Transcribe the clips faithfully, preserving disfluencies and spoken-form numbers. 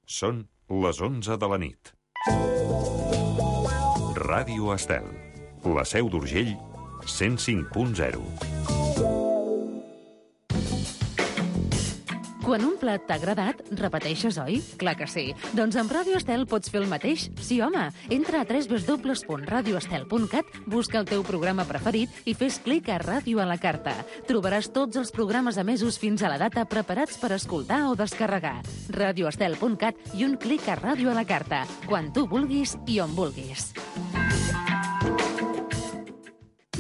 Són les onze de la nit. Ràdio Estel, la Seu d'Urgell, cent cinc punt zero. Quan un plat t'ha agradat, repeteixes, oi? Clar que sí. Doncs amb Ràdio Estel pots fer el mateix? Sí, home. Entra a w w w punt radio estel punt cat, busca el teu programa preferit i fes clic a Ràdio a la carta. Trobaràs tots els programes emesos fins a la data preparats per escoltar o descarregar. radio estel punt cat i un clic a Ràdio a la carta. Quan tu vulguis i on vulguis.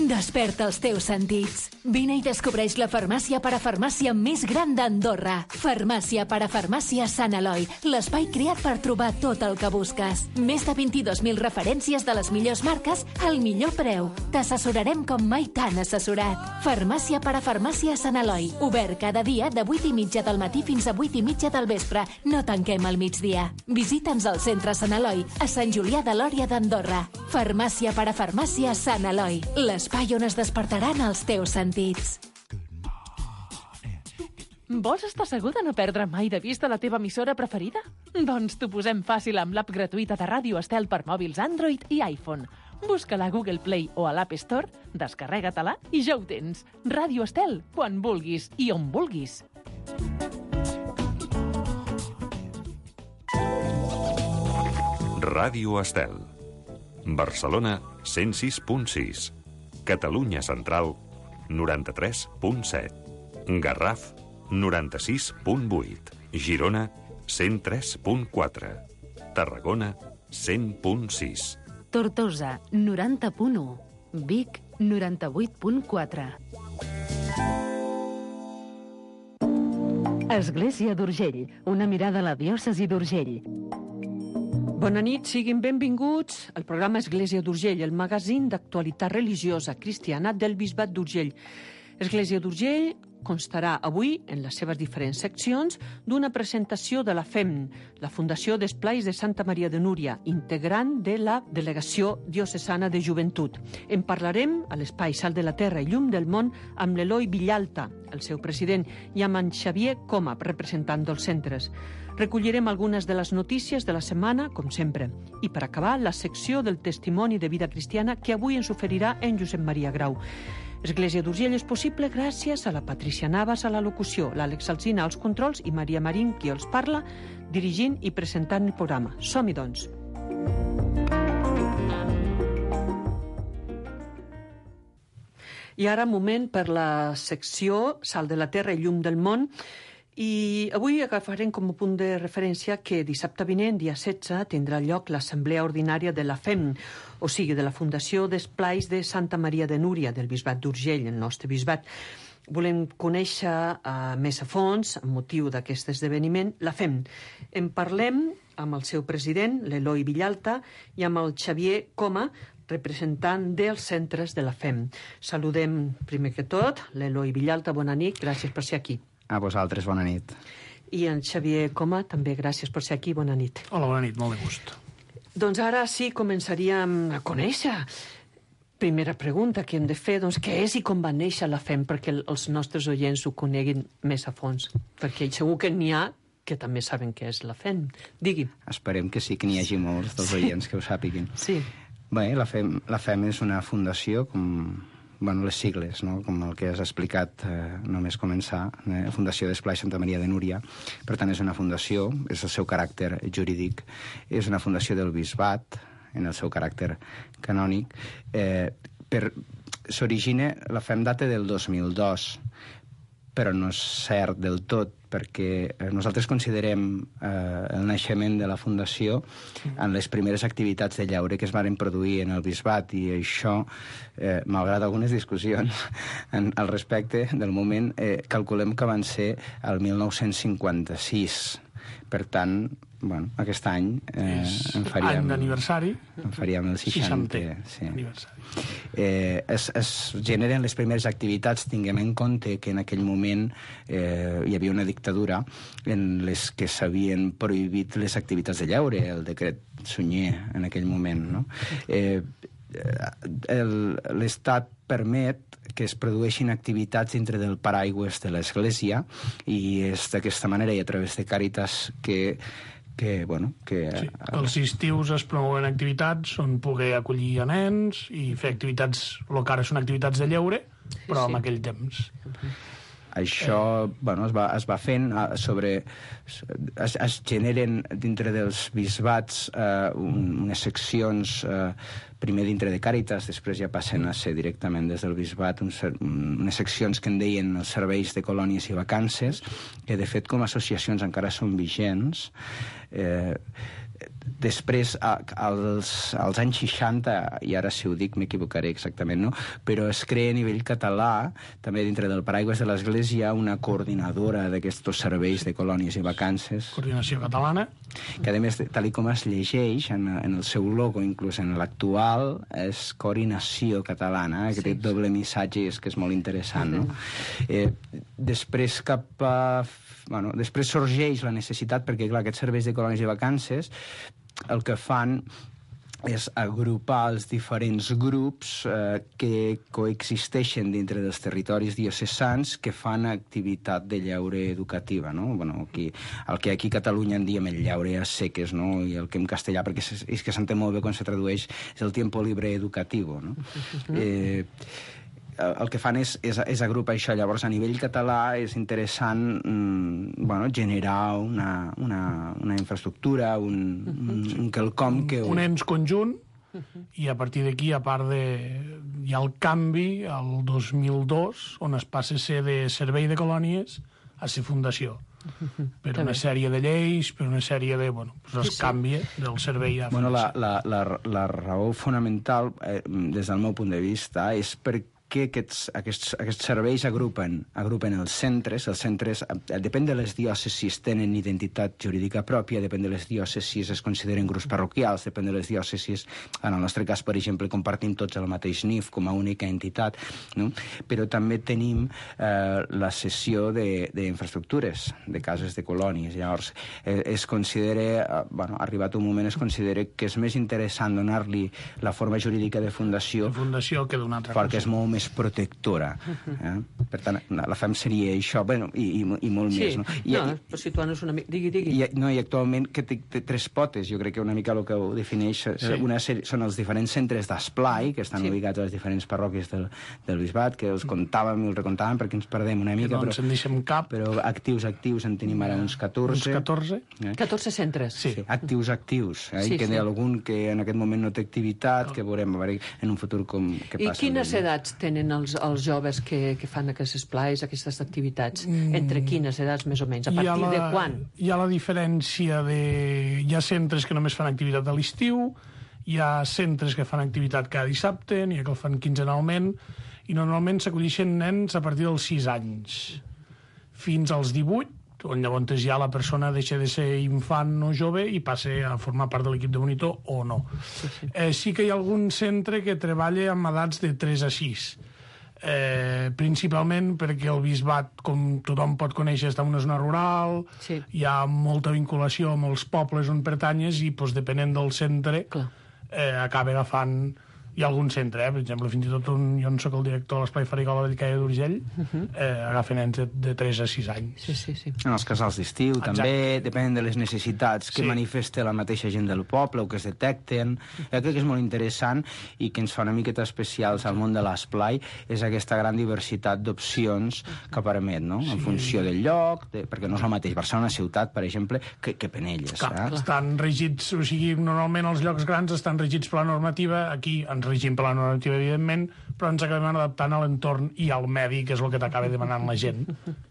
Desperta els teus sentits. Vine i descobreix la farmàcia parafarmàcia més gran d'Andorra. Farmàcia parafarmàcia Sant Eloi, l'espai creat per trobar tot el que busques. Més de vint-i-dos mil referències de les millors marques al millor preu. T'assessorarem com mai t'han assessorat. Farmàcia parafarmàcia Sant Eloi, obert cada dia de vuit i mitja del matí fins a vuit i mitja del vespre. No tanquem al migdia. Visita'ns al centre Sant Eloi, a Sant Julià de Lòria d'Andorra. Farmàcia parafarmàcia Sant Eloi, l'espai on es despertaran els teus sentits. Vols estar segur de no perdre mai de vista la teva emissora preferida? Doncs t'ho posem fàcil amb l'app gratuïta de Ràdio Estel per mòbils Android i iPhone. Busca-la a Google Play o a l'App Store, descarrega-te-la i ja ho tens. Ràdio Estel, quan vulguis i on vulguis. Ràdio Estel. Barcelona, cent sis punt sis. Catalunya Central, noranta-tres punt set. Garraf, noranta-sis punt vuit. Girona, cent tres punt quatre. Tarragona, cent punt sis. Tortosa, noranta punt u. Vic, noranta-vuit punt quatre. Església d'Urgell, una mirada a la diòcesi d'Urgell. Bona nit, siguin benvinguts al programa Església d'Urgell, el magazín d'actualitat religiosa cristiana del Bisbat d'Urgell. Església d'Urgell constarà avui, en les seves diferents seccions, d'una presentació de la F E M, la Fundació d'Esplais de Santa Maria de Núria, integrant de la Delegació Diocesana de Joventut. En parlarem a l'Espai Sal de la Terra i Llum del Món amb l'Eloi Villalta, el seu president, i amb en Xavier Coma, representant dels centres. Recollirem algunes de les notícies de la setmana, com sempre. I per acabar, la secció del testimoni de vida cristiana que avui ens oferirà en Josep Maria Grau. Església d'Urgell és possible gràcies a la Patricia Navas a la locució, l'Àlex Alsina als controls i Maria Marín, qui els parla, dirigint i presentant el programa. Som-hi, doncs. I ara, moment per la secció Sal de la Terra i Llum del Món. I avui agafarem com a punt de referència que dissabte vinent, dia setze, tindrà lloc l'Assemblea Ordinària de la F E M, o sigui, de la Fundació d'Esplais de Santa Maria de Núria, del Bisbat d'Urgell, el nostre bisbat. Volem conèixer uh, més a fons, amb motiu d'aquest esdeveniment, la F E M. En parlem amb el seu president, l'Eloi Villalta, i amb el Xavier Coma, representant dels centres de la F E M. Saludem, primer que tot, l'Eloi Villalta. Bona nit, gràcies per ser aquí. A vosaltres, bona nit. I en Xavier Coma, també gràcies per ser aquí, bona nit. Hola, bona nit, molt de gust. Doncs ara sí començaríem a conèixer. Primera pregunta que hem de fer, doncs, què és i com va néixer la F E M, perquè els nostres oients ho coneguin més a fons, perquè segur que n'hi ha que també saben què és la F E M. Digui. Esperem que sí, que n'hi hagi molts dels oients que ho sàpiguin. Sí. Bé, la F E M, la F E M és una fundació com... bueno, les sigles, no? Com el que has explicat eh, només començar, eh? Fundació d'Esplais Santa Maria de Núria. Per tant, és una fundació, és el seu caràcter jurídic, és una fundació del bisbat, en el seu caràcter canònic. Eh, per... S'origina, la F E M data del dos mil dos, però no és cert del tot, perquè nosaltres considerem eh, el naixement de la Fundació en les primeres activitats de llaure que es van produir en el bisbat, i això, eh, malgrat algunes discussions en, al respecte del moment, eh, calculem que van ser el mil nou-cents cinquanta-sis. Per tant, bueno, aquest any eh, en faríem... Any d'aniversari. En faríem el seixantè. Sí. Eh, es, es generen les primeres activitats, tinguem en compte que en aquell moment eh, hi havia una dictadura en les que s'havien prohibit les activitats de llaure, el decret Sunyer en aquell moment, no? Eh, l'Estat permet que es produeixin activitats dintre del paraigües de l'Església, i és d'aquesta manera i a través de Càritas que que, bueno, que... Sí, els estius es promouen activitats on poder acollir a nens i fer activitats, el que ara són activitats de lleure, però sí, sí. en aquell temps. Això bueno, es, va, es va fent sobre... Es, es generen dintre dels bisbats eh, un, unes seccions, eh, primer dintre de Càritas, després ja passen a ser directament des del bisbat un, unes seccions que en deien els serveis de colònies i vacances, que de fet com a associacions encara són vigents. Eh, Després, als, als anys seixanta, i ara si ho dic m'equivocaré exactament, no? Però es crea a nivell català, també dintre del paraigües de l'Església, una coordinadora d'aquests serveis de colònies i vacances. Coordinació catalana. Que a més, tal com es llegeix en, en el seu logo, inclús en l'actual, és Coordinació Catalana, eh? Que sí, té doble missatge i és que és molt interessant, no? Eh, després cap a... Bueno, després sorgeix la necessitat, perquè clar, aquests serveis de colònies i vacances el que fan és agrupar els diferents grups eh, que coexisteixen dintre dels territoris diocesans que fan activitat de lleure educativa, no? Bueno, aquí, el que aquí a Catalunya en diem el lleure a seques, no? I el que en castellà, perquè és, és que s'entén molt bé quan se tradueix, és el tiempo libre educativo, no? Eh, el que fan és, és, és agrupar això. Llavors, a nivell català és interessant mm, bueno, generar una, una, una infraestructura, un, un, un quelcom que... Un, un ens conjunt, i a partir d'aquí, a part de... Hi ha el canvi, el dos mil dos, on es passa a ser de servei de colònies a ser fundació. Per una sèrie de lleis, per una sèrie de... Bueno, pues es canvia del servei a bueno, fundació. La, la, la, la raó fonamental, eh, des del meu punt de vista, és perquè que aquests, aquests, aquests serveis agrupen, agrupen els centres. Els centres, eh, depèn de les diòcesis, tenen identitat jurídica pròpia, depèn de les diòcesis, es consideren grups parroquials, depèn de les diòcesis, en el nostre cas, per exemple, compartim tots el mateix N I F com a única entitat, no? Però també tenim eh, la cessió d'infraestructures, de, de cases de colònies. Llavors, eh, es considera, eh, bueno, arribat un moment, es considera que és més interessant donar-li la forma jurídica de fundació, de fundació que d'una altra perquè cosa. És molt més protectora. Eh? Per tant, la F A M seria això, bueno, i, i, i molt sí. més. No, I, no i, però situant-nos una mica... Digui, digui. I, no, i actualment que té, té tres potes, jo crec que una mica el que ho defineix sí. una sèrie, són els diferents centres d'esplai, que estan sí. ubicats a les diferents parròquies del, del bisbat, que els comptàvem i els recomptàvem perquè ens perdem una mica, no però, ens en deixem cap. Però actius, actius, en tenim ara uns catorze. Uns catorze? Eh? catorze centres. Sí. sí. Actius, actius. Eh? Sí, I que sí. hi ha algun que en aquest moment no té activitat, que veurem a veure en un futur com què passa. I quines edats tenen els, els joves que, que fan aquests esplais, aquestes activitats? Entre quines edats, més o menys? A partir la, de quan? Hi ha la diferència de... Hi ha centres que només fan activitat a l'estiu, hi ha centres que fan activitat cada dissabte, n'hi ha que el fan quinzenalment, i normalment s'acollixen nens a partir dels sis anys fins als divuit, on llavors ja la persona deixa de ser infant o jove i passa a formar part de l'equip de monitor o no. Sí, sí. Eh, sí que hi ha algun centre que treballa amb edats de tres a sis. Eh, principalment perquè el bisbat, com tothom pot conèixer, està en una zona rural, sí. hi ha molta vinculació amb els pobles on pertanyes i, doncs, depenent del centre, eh, acaba agafant... Hi ha algun centre, eh? Per exemple, fins i tot un, jo no soc el director de l'Esplai Farigola del Caia d'Urgell, uh-huh. eh, agafen nens de, de tres a sis anys. Sí, sí, sí. En els casals d'estiu també, depèn de les necessitats que sí. manifesta la mateixa gent del poble o que es detecten. Jo crec que és molt interessant i que ens fa una miqueta especials al món de l'Esplai és aquesta gran diversitat d'opcions que permet, no? Sí. En funció del lloc, de, perquè no és el mateix Barcelona ciutat, per exemple, que, que Penelles. Clar, eh? Estan regits, o sigui, normalment els llocs grans estan regits per la normativa, aquí ens regim per la normativa, evidentment, però ens acabem adaptant a l'entorn i al medi, que és el que t'acaba demanant la gent,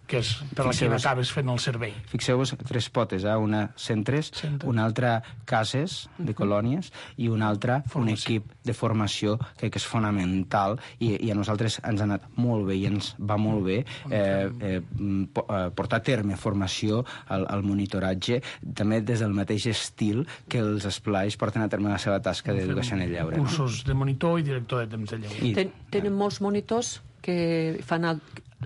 que és per la que acabes fent el servei. Fixeu-vos, tres potes, eh? Una centres, Centre. una altra cases de colònies i una altra formació. Un equip de formació que, que és fonamental i, i a nosaltres ens ha anat molt bé i ens va molt bé eh, eh, portar a terme formació al, al monitoratge, també des del mateix estil que els esplais porten a terme la seva tasca d'educació en el lleure. Cursos no? de monitor i director de temps de lleure. I... Ten, tenen molts monitors que fan el,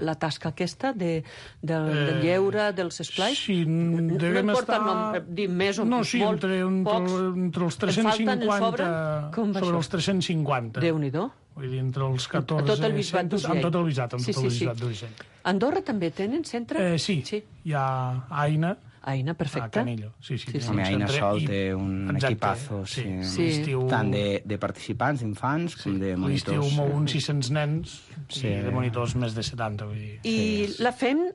la tasca aquesta de, del, eh, del lleure, dels esplais? Sí, devem no estar... No dir més o no, sí, molt, entre, entre, pocs. entre els tres-cents cinquanta... Sobre això? Els tres-cents cinquanta. Déu-n'hi-do. Vull dir, entre els catorze... A tot el bisbat d'Urgell. Amb tot el bisbat, amb sí, tot el sí, bisbat sí. d'Urgell. Andorra també tenen centre? Eh, sí. sí, hi ha Aina. Aina, perfecte. A Canillo, sí, sí. Sí, sí. Home, Aina Sol i- té un Exacte, equipazo, sí. Sí. L'estiu... Tant de, de participants, d'infants, Sí. com de L'estiu monitors. mou uns sis-cents nens Sí. i de monitors més de setanta. Vull dir. I la F E M,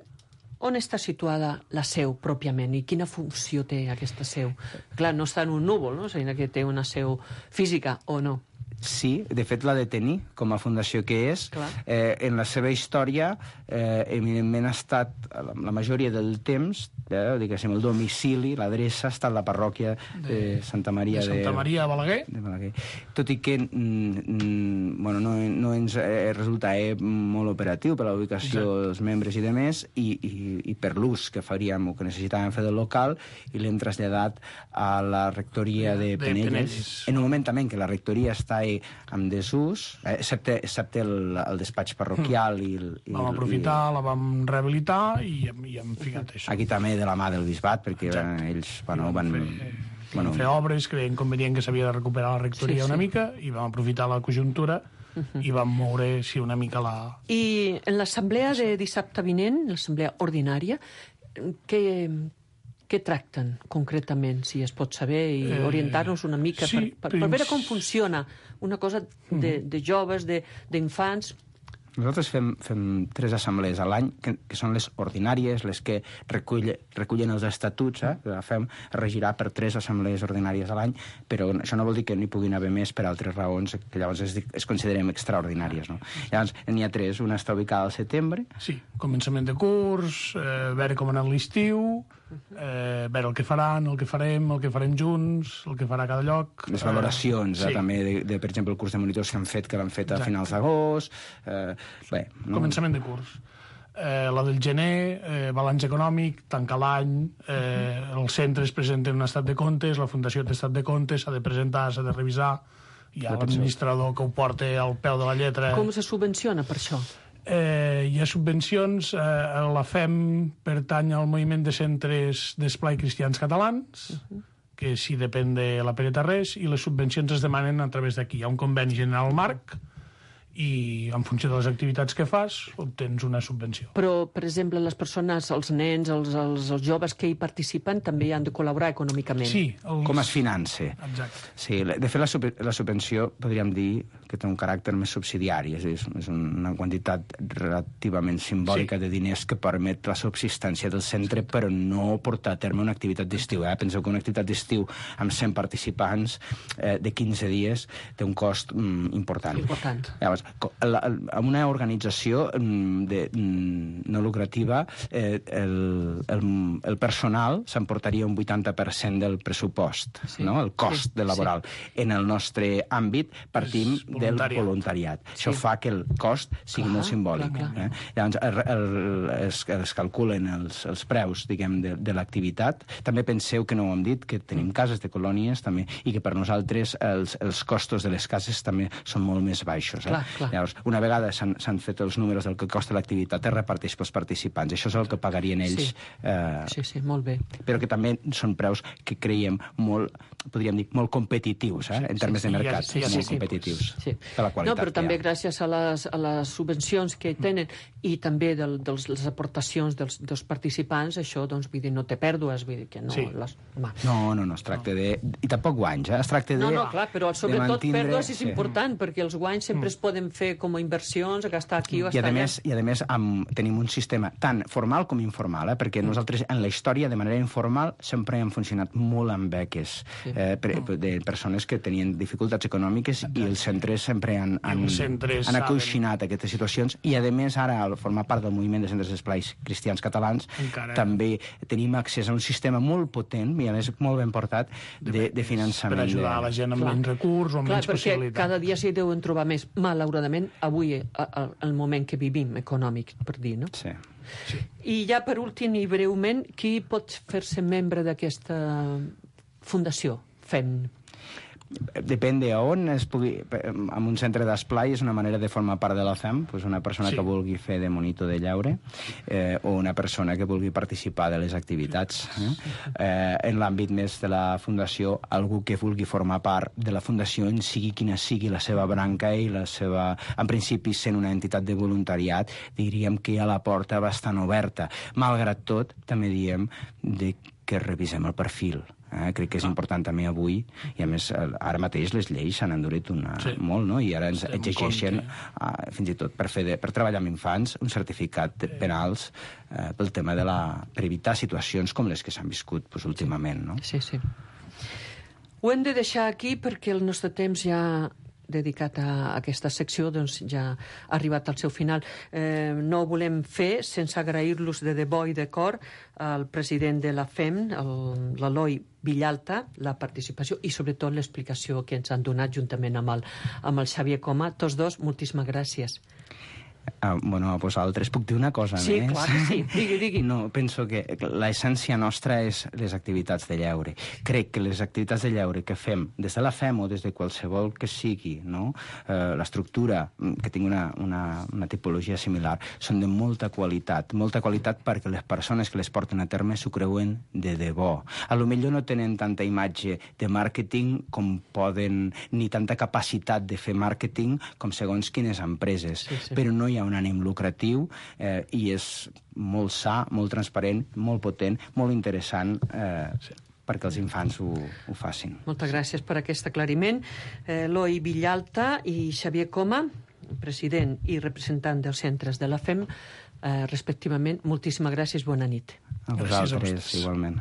on està situada la seu, pròpiament, i quina funció té aquesta seu? Clar, no està en un núvol, no? Sinó que té una seu física, o no? Sí, de fet l'ha de tenir com a fundació que és. Clar. Eh, en la seva història, eh, evidentment ha estat, la, la majoria del temps, eh, diguéssim, el domicili, l'adreça, ha estat la parròquia de, de Santa Maria de Santa Maria a Balaguer. de Balaguer. Tot i que mm, mm, bueno, no, no ens eh, resulta eh, molt operatiu per la ubicació Exacte. dels membres i de més, i, i, i per l'ús que faríem o que necessitàvem fer del local, i l'hem traslladat a la rectoria de, De Penelles, Penelles. en un moment també en què la rectoria està eh, en desús, eh, excepte, excepte el, el despatx parroquial i el, i Vam el- aprofitar, la vam rehabilitar i, i hem ficat això. Aquí també de la mà del bisbat, perquè Exacte. eh, ells bueno, van... Fer, bueno, fer obres que veien convenient que s'havia de recuperar la rectoria Sí, sí. una mica i vam aprofitar la conjuntura i vam moure, sí, una mica la... I en l'assemblea de dissabte vinent, l'assemblea ordinària, què, què tracten concretament, si es pot saber, i Eh, orientar-nos una mica sí, per, per, per veure prins- com funciona una cosa de, de joves, de- d'infants. Nosaltres fem, fem tres assemblees a l'any, que, que són les ordinàries, les que recull, recullen els estatuts, eh? La fem regirà per tres assemblees ordinàries a l'any, però això no vol dir que n'hi puguin haver més per altres raons que llavors es, es considerem extraordinàries. No? Llavors, n'hi ha tres. Una està ubicada al setembre, Sí, començament de curs, eh, veure com ha anat l'estiu, eh, veure el que faran, el que farem, el que farem junts, el que farà cada lloc. les valoracions, Eh, eh, també, de, de, per exemple, el curs de monitors que han fet, que l'han fet a Exacte. finals d'agost. Eh, bé, no? Començament de curs. Eh, la del gener, eh, balanç econòmic, tancar l'any, eh, els centres presenten un estat de comptes, la Fundació té estat de comptes, s'ha de presentar, s'ha de revisar, hi ha l'administrador que ho porta al peu de la lletra. Com se subvenciona per això? Eh, hi ha subvencions, eh, la F E M pertany al moviment de centres d'esplai cristians catalans, que sí depèn de la Pere Tarrés, i les subvencions es demanen a través d'aquí. Hi ha un conveni general marc, i en funció de les activitats que fas, obtens una subvenció. Però, per exemple, les persones, els nens, els, els, els joves que hi participen també han de col·laborar econòmicament. Sí, els... Com es finança. Exacte. Sí, de fet, la, sub la subvenció podríem dir que té un caràcter més subsidiari, és, a dir, és una quantitat relativament simbòlica Sí. de diners que permet la subsistència del centre, però no portar a terme una activitat d'estiu. Eh? Penseu que una activitat d'estiu amb cent participants eh, de quinze dies té un cost mm, important. Important. Llavors, la, amb una organització mm, de, mm, no lucrativa, eh, el, el, el personal s'emportaria un vuitanta per cent del pressupost, Sí. no? El cost Sí, de laboral. sí. En el nostre àmbit partim És del voluntariat. voluntariat. Sí. Això fa que el cost sigui Clar, molt simbòlic. clar, clar. Eh? Llavors, el, el, es, es calculen els, els preus, diguem, de, de l'activitat. També penseu que no ho hem dit, que tenim cases de colònies també, i que per nosaltres els, els costos de les cases també són molt més baixos. Eh? Clar, clar. Llavors, una vegada s'han fet els números del que costa l'activitat, es reparteix pels participants. Això és el que pagarien ells. Sí. Eh, Sí, sí, molt bé. però que també són preus que creiem molt, podríem dir, molt competitius, eh? en termes sí, de sí, mercat, sí, molt sí, sí. competitius. Sí. Per la qualitat No, però que també hi ha. gràcies a les, a les subvencions que tenen i també de dels, les aportacions dels, dels participants, això, doncs, vull dir, no té pèrdues, vull dir que no... Sí. Les, home. No, no, no, es tracta de... I tampoc guanys, eh? Es tracta de... No, no, clar, però de sobretot mantindre- pèrdues és sí. important, perquè els guanys sempre es poden fer com a inversions, a gastar aquí o I gastar a allà. més, i a més amb, tenim un sistema tant formal com informal, eh? perquè nosaltres en la història de manera informal sempre hem funcionat molt amb beques eh, per, de persones que tenien dificultats econòmiques i els centres sempre han, han, els centres han saben. acoixinat aquestes situacions i a més ara al formar part del moviment de centres d'esplais cristians catalans Encara. també tenim accés a un sistema molt potent i a més molt ben portat de, de finançament. Per ajudar a la gent amb Clar. menys recurs o amb Clar, menys perquè possibilitats. cada dia s'hi deuen trobar més, malauradament, avui, a, a, el moment que vivim, econòmic, per dir, no? Sí. I ja per últim i breument, qui pot fer-se membre d'aquesta fundació? Fem. Depèn de on es pugui... En un centre d'esplai és una manera de formar part de la F E M, doncs una persona Sí. que vulgui fer de monitor de llaure eh, o una persona que vulgui participar de les activitats. Eh? Eh, en l'àmbit més de la fundació, algú que vulgui formar part de la fundació en sigui quina sigui la seva branca i la seva... En principi, sent una entitat de voluntariat, diríem que hi ha la porta bastant oberta. Malgrat tot, també diem de que revisem el perfil. Eh? Crec que és important també avui, i a més ara mateix les lleis s'han endurit una, sí. molt, no? I ara ens exigeixen, uh, fins i tot per, fer de, per treballar amb infants, un certificat de penals uh, pel tema de la... per evitar situacions com les que s'han viscut pues, últimament, no? Sí, sí. Ho hem de deixar aquí perquè el nostre temps ja dedicat a aquesta secció doncs, ja ha arribat al seu final. Eh, no ho volem fer sense agrair-los de debò i de cor al president de la F E M, l'Eloi Villalta, la participació i sobretot l'explicació que ens han donat juntament amb el, amb el Xavier Coma. Tots dos, moltíssimes gràcies. Uh, bueno, a vosaltres puc dir una cosa sí, més? Sí, clar que sí. Digui, digui. No, penso que l'essència nostra és les activitats de lleure. Crec que les activitats de lleure que fem des de la F E M o des de qualsevol que sigui, no? uh, l'estructura, que tingui una, una, una tipologia similar, són de molta qualitat. Molta qualitat perquè les persones que les porten a terme s'ho creuen de debò. A lo millor no tenen tanta imatge de màrqueting com poden, ni tanta capacitat de fer màrqueting com segons quines empreses. Sí, sí. Però no hi ha un ànim lucratiu eh, i és molt sa, molt transparent, molt potent, molt interessant eh, sí. perquè els infants ho, ho facin. Moltes gràcies per aquest aclariment. Eh, Eloi Villalta i Xavier Coma, president i representant dels centres de la F E M, eh, respectivament. Moltíssimes gràcies, bona nit. A vosaltres, igualment.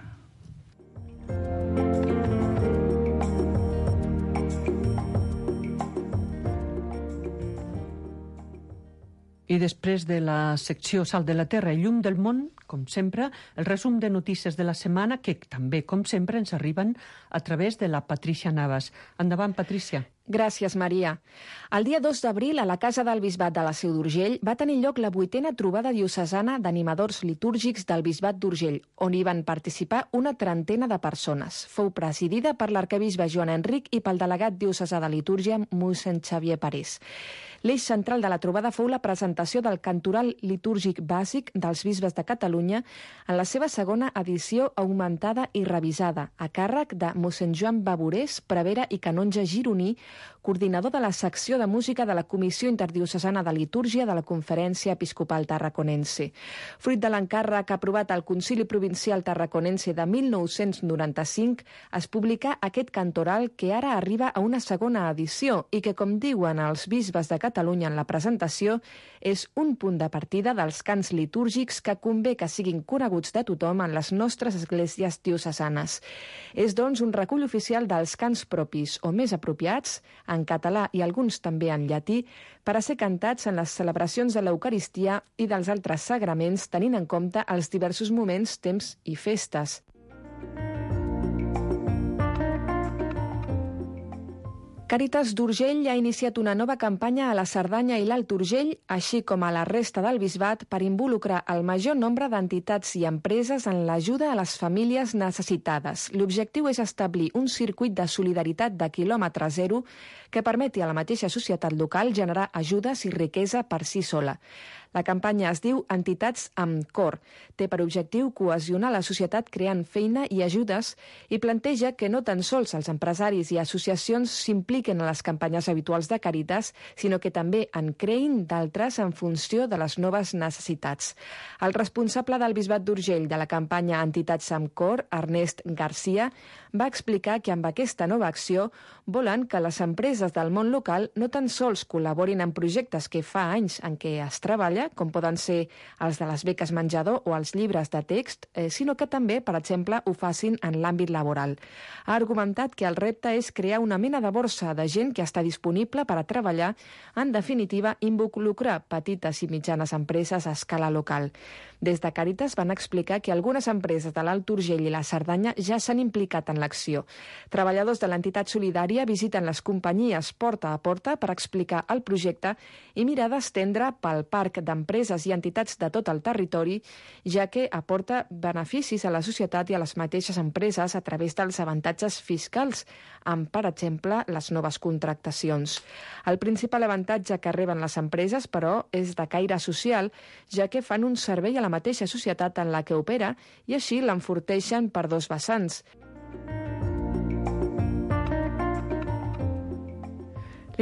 I després de la secció Sal de la Terra i Llum del Món, com sempre, el resum de notícies de la setmana, que també, com sempre, ens arriben a través de la Patrícia Navas. Endavant, Patrícia. Gràcies, Maria. El dia dos d'abril, a la Casa del Bisbat de la Seu d'Urgell, va tenir lloc la vuitena trobada diocesana d'animadors litúrgics del Bisbat d'Urgell, on hi van participar una trentena de persones. Fou presidida per l'arquebisbe Joan Enric i pel delegat diocesà de litúrgia, mossèn Xavier Parés. L'eix central de la trobada fou la presentació del Cantoral litúrgic bàsic dels bisbes de Catalunya en la seva segona edició augmentada i revisada, a càrrec de mossèn Joan Baborés, prevere i canonge gironí, coordinador de la secció de música de la Comissió Interdiocesana de Litúrgia de la Conferència Episcopal Tarraconense. Fruit de l'encàrrec aprovat al Concili Provincial Tarraconense de mil nou-cents noranta-cinc, es publica aquest cantoral que ara arriba a una segona edició i que, com diuen els bisbes de Catalunya en la presentació, és un punt de partida dels cants litúrgics que convé que siguin coneguts de tothom en les nostres esglésies diocesanes. És, doncs, un recull oficial dels cants propis o més apropiats, en català i alguns també en llatí, per a ser cantats en les celebracions de l'Eucaristia i dels altres sagraments, tenint en compte els diversos moments, temps i festes. Càritas d'Urgell ha iniciat una nova campanya a la Cerdanya i l'Alt Urgell, així com a la resta del bisbat, per involucrar el major nombre d'entitats i empreses en l'ajuda a les famílies necessitades. L'objectiu és establir un circuit de solidaritat de quilòmetre zero que permeti a la mateixa societat local generar ajudes i riquesa per si sola. La campanya es diu Entitats amb Cor. Té per objectiu cohesionar la societat creant feina i ajudes i planteja que no tan sols els empresaris i associacions s'impliquen en les campanyes habituals de Càritas, sinó que també en creïn d'altres en funció de les noves necessitats. El responsable del Bisbat d'Urgell de la campanya Entitats amb Cor, Ernest Garcia, va explicar que amb aquesta nova acció volen que les empreses del món local no tan sols col·laborin en projectes que fa anys en què es treballa, com poden ser els de les beques menjador o els llibres de text, eh, sinó que també, per exemple, ho facin en l'àmbit laboral. Ha argumentat que el repte és crear una mena de borsa de gent que està disponible per a treballar, en definitiva, involucrar petites i mitjanes empreses a escala local. Des de Càritas van explicar que algunes empreses de l'Alt Urgell i la Cerdanya ja s'han implicat en l'acció. Treballadors de l'entitat solidària visiten les companyies porta a porta per explicar el projecte i mirar d'estendre pel parc d'empreses i entitats de tot el territori, ja que aporta beneficis a la societat i a les mateixes empreses a través dels avantatges fiscals, amb, per exemple, les noves contractacions. El principal avantatge que reben les empreses, però, és de caire social, ja que fan un servei a la mateixa societat en la que opera i així l'enforteixen per dos vessants.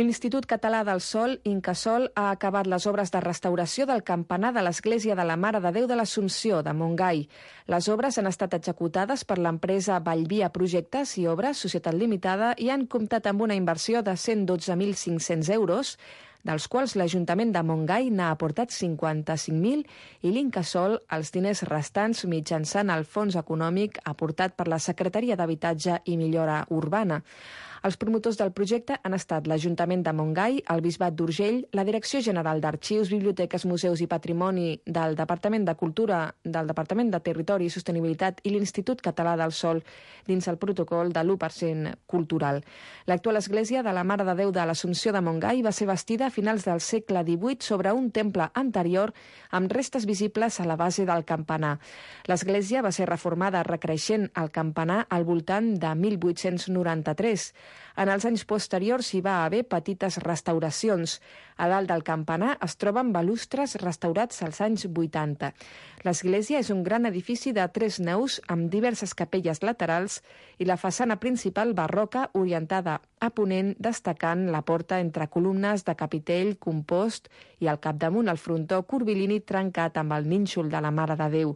L'Institut Català del Sol, Incasol, ha acabat les obres de restauració del campanar de l'Església de la Mare de Déu de l'Assumpció, de Montgai. Les obres han estat executades per l'empresa Vallvia Projectes i Obres, Societat Limitada, i han comptat amb una inversió de cent dotze mil cinc-cents euros, dels quals l'Ajuntament de Montgai n'ha aportat cinquanta-cinc mil i l'Incasol els diners restants mitjançant el fons econòmic aportat per la Secretaria d'Habitatge i Millora Urbana. Els promotors del projecte han estat l'Ajuntament de Montgai, el Bisbat d'Urgell, la Direcció General d'Arxius, Biblioteques, Museus i Patrimoni del Departament de Cultura, del Departament de Territori i Sostenibilitat i l'Institut Català del Sol dins el protocol de l'u per cent cultural. L'actual església de la Mare de Déu de l'Assumpció de Montgai va ser bastida a finals del segle divuit sobre un temple anterior amb restes visibles a la base del campanar. L'església va ser reformada recreixent el campanar al voltant de mil vuit-cents noranta-tres. En els anys posteriors hi va haver petites restauracions. A dalt del campanar es troben balustres restaurats als anys vuitanta. L'església és un gran edifici de tres naus amb diverses capelles laterals i la façana principal barroca orientada a ponent, destacant la porta entre columnes de capitell compost i al capdamunt el frontó curvilini trencat amb el nínxol de la Mare de Déu.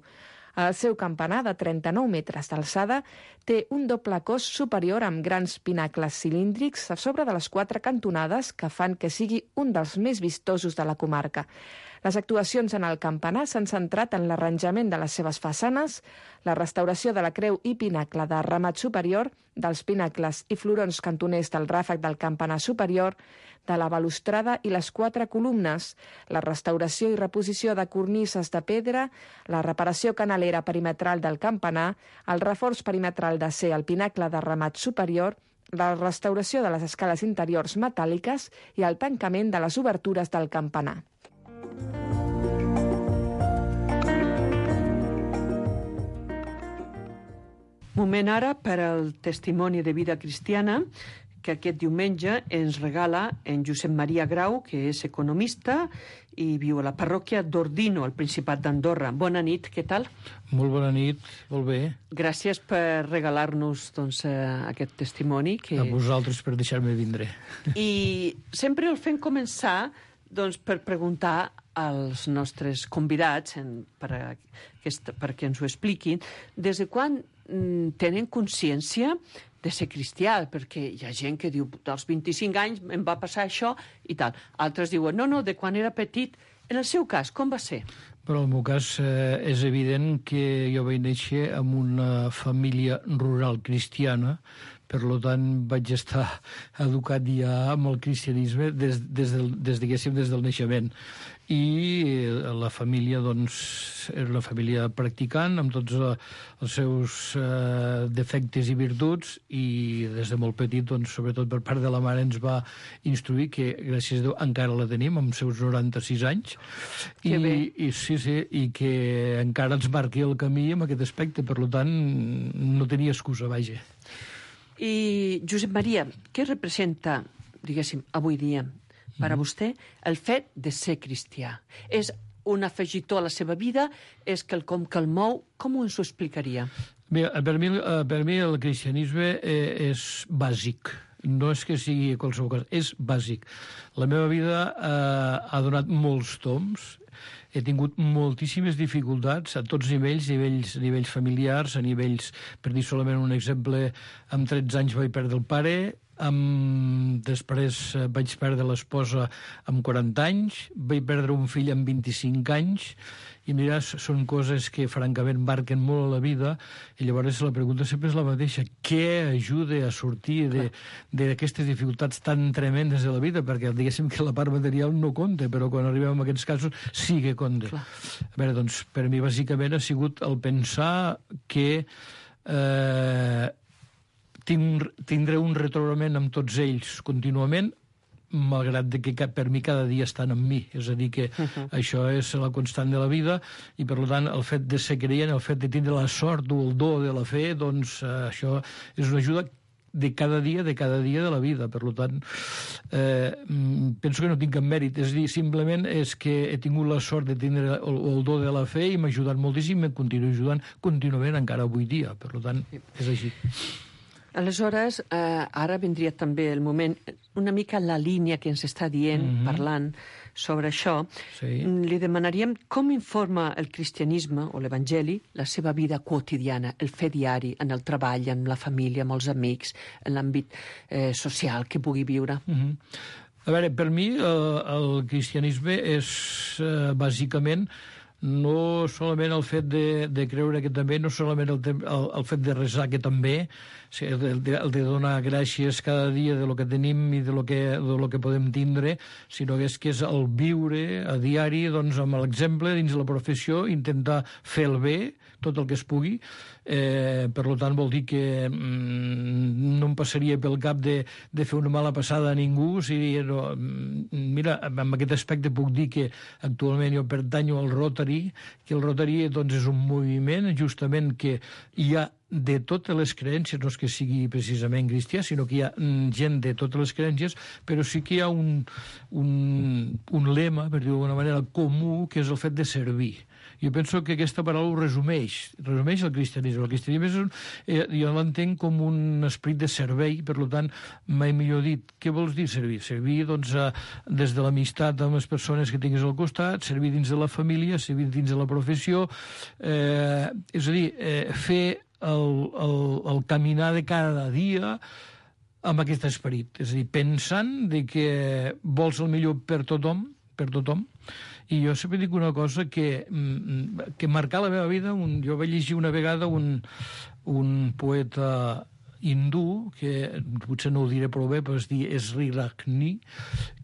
El seu campanar, de trenta-nou metres d'alçada, té un doble cos superior amb grans pinacles cilíndrics a sobre de les quatre cantonades que fan que sigui un dels més vistosos de la comarca. Les actuacions en el campanar s'han centrat en l'arranjament de les seves façanes, la restauració de la creu i pinacle de remat superior, dels pinacles i florons cantoners del ràfec del campanar superior, de la balustrada i les quatre columnes, la restauració i reposició de cornises de pedra, la reparació canalera perimetral del campanar, el reforç perimetral d'acer al pinacle de remat superior, la restauració de les escales interiors metàl·liques i el tancament de les obertures del campanar. Moment ara per al testimoni de vida cristiana que aquest diumenge ens regala en Josep Maria Grau, que és economista i viu a la parròquia d'Ordino, al Principat d'Andorra. Bona nit, què tal? Molt bona nit, molt bé. Gràcies per regalar-nos doncs, aquest testimoni. Que... A vosaltres per deixar-me vindre. I sempre el fem començar doncs, per preguntar als nostres convidats en, per a, aquest, perquè ens ho expliquin, des de quan mm, tenen consciència de ser cristià, perquè hi ha gent que diu dels vint-i-cinc anys em va passar això i tal. Altres diuen, no, no, de quan era petit. En el seu cas, com va ser? Però en el meu cas eh, és evident que jo vaig néixer en una família rural cristiana, per tant vaig estar educat ja amb el cristianisme des, des, del, des, diguéssim, des del naixement. I la família, doncs, era una família practicant, amb tots els seus eh, defectes i virtuts, i des de molt petit, doncs, sobretot per part de la mare, ens va instruir, que gràcies a Déu encara la tenim, amb seus noranta-sis anys, i, i, sí, sí, i que encara ens marqui el camí en aquest aspecte, per tant, no tenia excusa, vaja. I, Josep Maria, què representa, diguéssim, avui dia, per a vostè, el fet de ser cristià? És un afegitó a la seva vida? És quelcom que el mou? Com ens ho explicaria? Bé, per mi, per mi el cristianisme és bàsic. No és que sigui qualsevol cosa, és bàsic. La meva vida eh, ha donat molts tombs, he tingut moltíssimes dificultats a tots nivells, nivells, nivells familiars, a nivells, per dir solament un exemple, amb tretze anys vaig perdre el pare, amb... després vaig perdre l'esposa amb quaranta anys, vaig perdre un fill amb vint-i-cinc anys, i mira, són coses que francament marquen molt a la vida, i llavors la pregunta sempre és la mateixa: què ajuda a sortir d'aquestes dificultats tan tremendes de la vida? Perquè diguéssim que la part material no compta, però quan arribem a aquests casos sí que compta. Clar. A veure, doncs, per mi bàsicament ha sigut el pensar que eh, tinc, tindré un retrobament amb tots ells contínuament, malgrat que per mi cada dia estan amb mi. És a dir, que uh-huh. això és la constant de la vida, i per tant el fet de ser creient, el fet de tindre la sort o el do de la fe, doncs eh, això és una ajuda de cada dia, de cada dia de la vida. Per tant, eh, penso que no tinc cap mèrit. És a dir, simplement és que he tingut la sort de tindre el, el do de la fe i m'ha ajudat moltíssim, i em continuo ajudant contínuament encara avui dia. Per tant, és així. Aleshores, eh, ara vindria també el moment, una mica la línia que ens està dient, mm-hmm. parlant sobre això. Sí. Li demanaríem com informa el cristianisme o l'evangeli la seva vida quotidiana, el fer diari, en el treball, amb la família, amb els amics, en l'àmbit eh, social que pugui viure. Mm-hmm. A veure, per mi el, el cristianisme és eh, bàsicament no solament el fet de, de creure que també, no solament el, el, el fet de resar que també, el de, el de donar gràcies cada dia de lo que tenim i de lo que, de lo que podem tindre, sinó que és que és el viure a diari, doncs, amb l'exemple dins la professió, intentar fer el bé, tot el que es pugui. Eh, per tant, vol dir que mm, no em passaria pel cap de, de fer una mala passada a ningú. Si, no, mira, amb aquest aspecte puc dir que actualment jo pertanyo al Rotary, que el Rotary doncs, és un moviment justament que hi ha de totes les creences, no és que sigui precisament cristià, sinó que hi ha gent de totes les creences, però sí que hi ha un, un, un lema, per dir-ho d'alguna manera, comú, que és el fet de servir. Jo penso que aquesta paraula ho resumeix, resumeix el cristianisme. El cristianisme és un, eh, jo l'entenc com un esperit de servei, per tant, mai millor dit. Què vols dir servir? Servir, doncs, eh, des de l'amistat amb les persones que tinguis al costat, servir dins de la família, servir dins de la professió, eh, és a dir, eh, fer el, el, el caminar de cada dia amb aquest esperit. És a dir, pensant de que vols el millor per tothom, per tothom. I jo sempre dic una cosa que, que marcar la meva vida. Un, jo vaig llegir una vegada un, un poeta hindú, que potser no ho diré prou bé, però es diu Sri Ragni,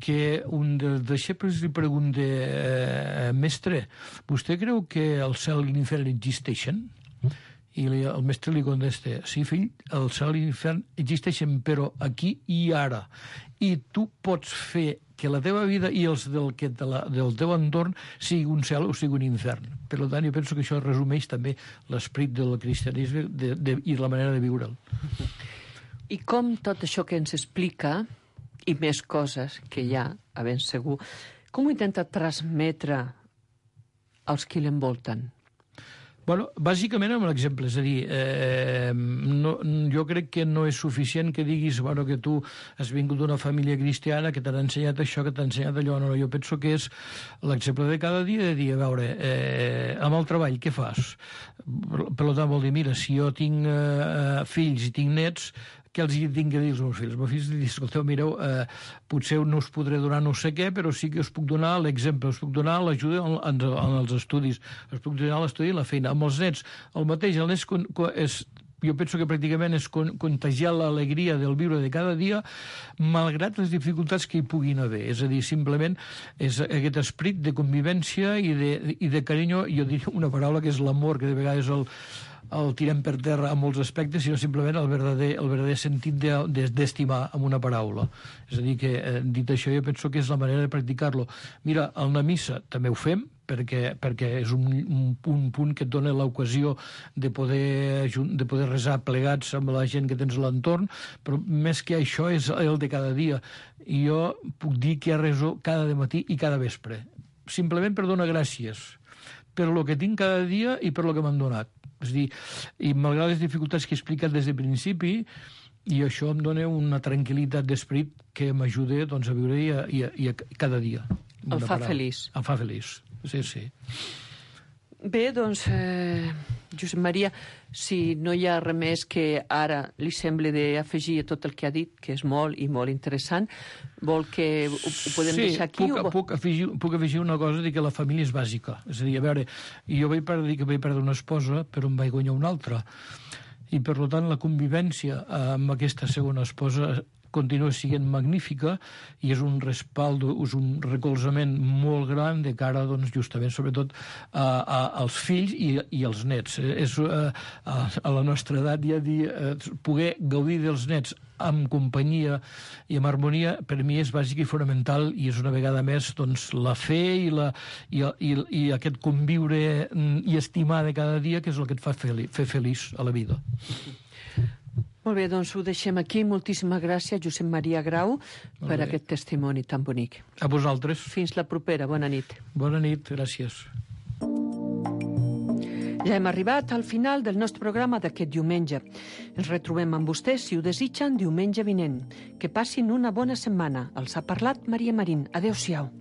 que un dels deixebles li pregunta, eh, mestre, vostè creu que el cel i l'infern existeixen? I li, el mestre li contesta, sí, fill, el cel i l'infern existeixen, però aquí i ara. I tu pots fer que la teva vida i els del, que de la, del teu entorn sigui un cel o sigui un infern. Per tant, jo penso que això resumeix també l'esperit del cristianisme de, de, i la manera de viure'l. I com tot això que ens explica, i més coses que hi ha, a ben segur, com ho intenta transmetre als qui l'envolten? Bueno, bàsicament amb l'exemple, és a dir, eh, no, jo crec que no és suficient que diguis bueno, que tu has vingut d'una família cristiana, que t'han ensenyat això, que t'han ensenyat allò. No, jo penso que és l'exemple de cada dia, de dir, a veure, eh, amb el treball, què fas? Per tant, vol dir, mira, si jo tinc eh, fills i tinc nets, què els tinc que dir als meus fills? Els meus fills diuen, escolteu, mireu, eh, potser no us podré donar no sé què, però sí que us puc donar l'exemple, us puc donar l'ajuda en, en, en els estudis, us puc donar l'estudi i la feina. Amb els nets, el mateix, el nens és, jo penso que pràcticament és contagiar l'alegria del viure de cada dia, malgrat les dificultats que hi puguin haver. És a dir, simplement és aquest esperit de convivència i de, i de carinyo, jo diria una paraula que és l'amor, que de vegades el el tirem per terra en molts aspectes, sinó simplement el verdader, el verdader sentit d'estimar de, amb una paraula. És a dir, que eh, dit això, jo penso que és la manera de practicar-lo. Mira, al anar a missa també ho fem, perquè, perquè és un, un, un punt que et dona l'ocasió de poder, de poder resar plegats amb la gent que tens a l'entorn, però més que això és el de cada dia. I jo puc dir que reso cada matí i cada vespre, simplement per donar gràcies per lo que tinc cada dia i per lo que m'han donat. És a dir, i malgrat les dificultats que he explicat des del principi, i això em dona una tranquil·litat d'esperit que m'ajuda doncs, a viure i a, i a, i a cada dia. El fa feliç. El fa feliç, sí, sí. Bé, doncs, eh, Josep Maria, si no hi ha res més que ara li sembla d'afegir a tot el que ha dit, que és molt i molt interessant, vol que ho, ho podem sí, deixar aquí? Sí, puc, o... puc, afegir, puc afegir una cosa, dir que la família és bàsica. És a dir, a veure, jo vaig perdre, dir que vaig perdre una esposa, però em vaig guanyar una altra. I, per tant, la convivència amb aquesta segona esposa continua sent magnífica i és un respaldo, és un recolzament molt gran de cara, doncs, justament, sobretot, a, a, als fills i, i als nets. És, a, a la nostra edat, ja dir, poder gaudir dels nets amb companyia i amb harmonia, per mi és bàsic i fonamental, i és una vegada més doncs, la fe i, la, i, i, i aquest conviure i estimar de cada dia, que és el que et fa fel, fer feliç a la vida. Molt bé, doncs ho deixem aquí. Moltíssimes gràcies, Josep Maria Grau, per aquest testimoni tan bonic. A vosaltres. Fins la propera. Bona nit. Bona nit, gràcies. Ja hem arribat al final del nostre programa d'aquest diumenge. Ens retrobem amb vostès, si ho desitgen, diumenge vinent. Que passin una bona setmana. Els ha parlat Maria Marín. Adéu-siau.